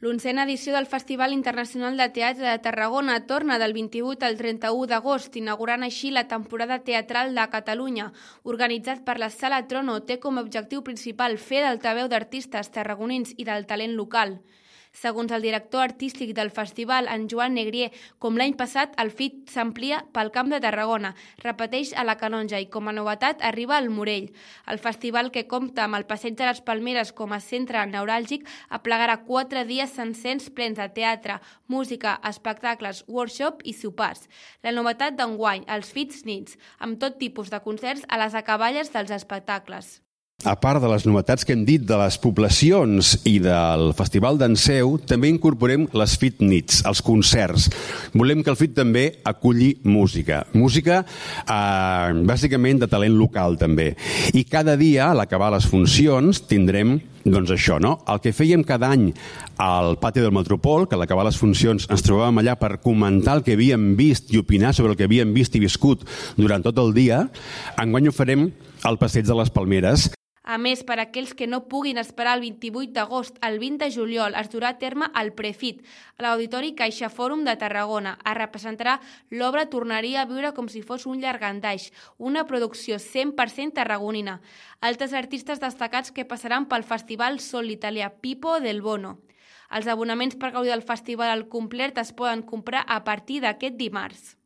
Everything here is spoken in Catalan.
L'onzena edició del Festival Internacional de Teatre de Tarragona torna del 28 al 31 d'agost, inaugurant així la temporada teatral de Catalunya. Organitzat per la Sala Trono, té com a objectiu principal fer d'altaveu d'artistes tarragonins i del talent local. Segons el director artístic del festival, en Joan Negrier, com l'any passat, el FIT s'amplia pel Camp de Tarragona, repeteix a la Canonja i com a novetat arriba al Morell. El festival, que compta amb el Passeig de les Palmeres com a centre neuràlgic, aplegarà 4 dies sencers plens de teatre, música, espectacles, workshop i sopars. La novetat d'enguany, els FITs Nits, amb tot tipus de concerts a les acaballes dels espectacles. A part de les novetats que hem dit de les poblacions i del Festival d'Enseu, també incorporem les FIT Nits, els concerts. Volem que el FIT també aculli música. Música bàsicament de talent local també. I cada dia, a l'acabar les funcions, tindrem doncs això, no? El que fèiem cada any al pati del Metropol, que a l'acabar les funcions ens trobàvem allà per comentar el que havíem vist i opinar sobre el que havíem vist i viscut durant tot el dia, enguany ho farem al Passeig de les Palmeres. A més, per a aquells que no puguin esperar el 28 d'agost al 20 de juliol, es durà a terme el Prefit, a l'Auditori Caixa Fòrum de Tarragona. Es representarà l'obra Tornaria a viure com si fos un llargandaix, una producció 100% tarragonina. Altres artistes destacats que passaran pel festival són l'italià Pippo Del Bono. Els abonaments per gaudir del festival al complet es poden comprar a partir d'aquest dimarts.